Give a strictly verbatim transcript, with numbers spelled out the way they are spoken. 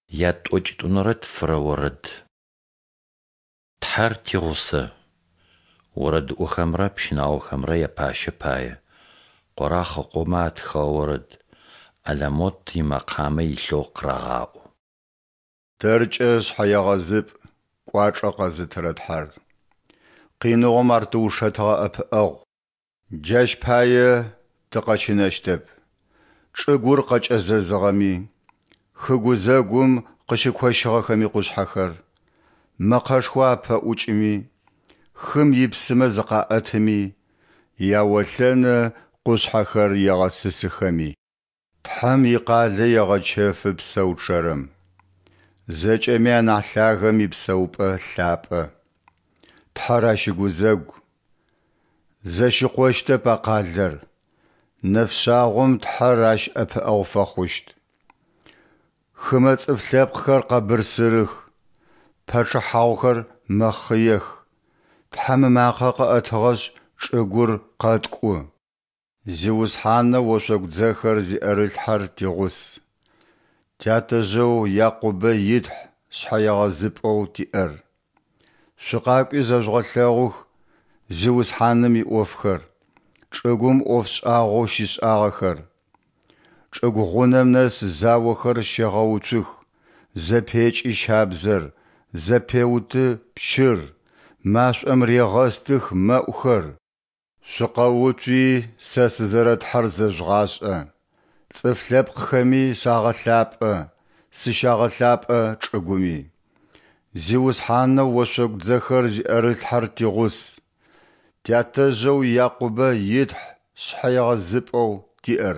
Ятӏокӏитӏунэрэ тфырэ орэд. Тхьэр тигъусэ. Орэдыӏохэмрэ пщынаохэмрэ япащэ пае. Къорахъ ыкъомэ атхыгъэ орэд. Аламот имэкъамэ илъэу къырагъаӏо. Тэркӏэ шъхьэегъэзыпӏ кӏуачӏэ къэзытырэ Тхьэр. Къиныгъом Ар тиушэтыгъэ ӏэпыӏэгъу. Джащ пае тыкъэщынэщтэп, чӏыгур къэкӏэзэзыгъэми, хы гузэгум къыщыкощыгъэхэми къушъхьэхэр, мэкъэшхо апэӏукӏыми, хым ипсымэ зыкъаӏэтыми, яолъэны къушъхьэхэр егъэсысыхэми. Тхьэм икъалэ егъэчэфы псэу чъэрэм, Зэкӏэми анахь Лъагэм ипсэупӏэ лъапӏэ. Тхьэр ащ ыгузэгу. Зэщыкъощтэп а къалэр, нэфшъагъом Тхьэр ащ ӏэпыӏэгъу фэхъущт. Хымэ цӏыф лъэпкъхэр къэбырсырых, пачъыхьагъухэр мэхъыех, Тхьэм ымакъэ къыӏэтыгъэшъ, чӏыгур къэткӏу. Зиусхьанэу ошъогу дзэхэр зиӏэрылъхьэр тигъус. Тятэжъэу Якъубэ и Тхь шъхьэегъэзыпӏэу тиӏэр. Шъукъакӏуи зэжъугъэлъэгъух Зиусхьаным иӏофхэр, чӏыгум ӏоф шӏагъоу щишӏагъэхэр. Чӏыгу гъунэм нэс заохэр щегъэуцух, зэпекӏы щабзэр, зэпеуты пчыр, машӏом регъэстых мэӏухэр. Шъукъэуцуи, сэ сызэрэ Тхьэр зэжъугъашӏэ, цӏыф лъэпкъхэми сагъэлъапӏэ, сыщагъэлъапӏэ чӏыгуми. Зиусхьанэу ошъогу дзэхэр зиӏэрылъхьэр тигъус. Тятэжъэу Якъубэ и Тхь шъхьэегъэзыпӏэу тиӏэр.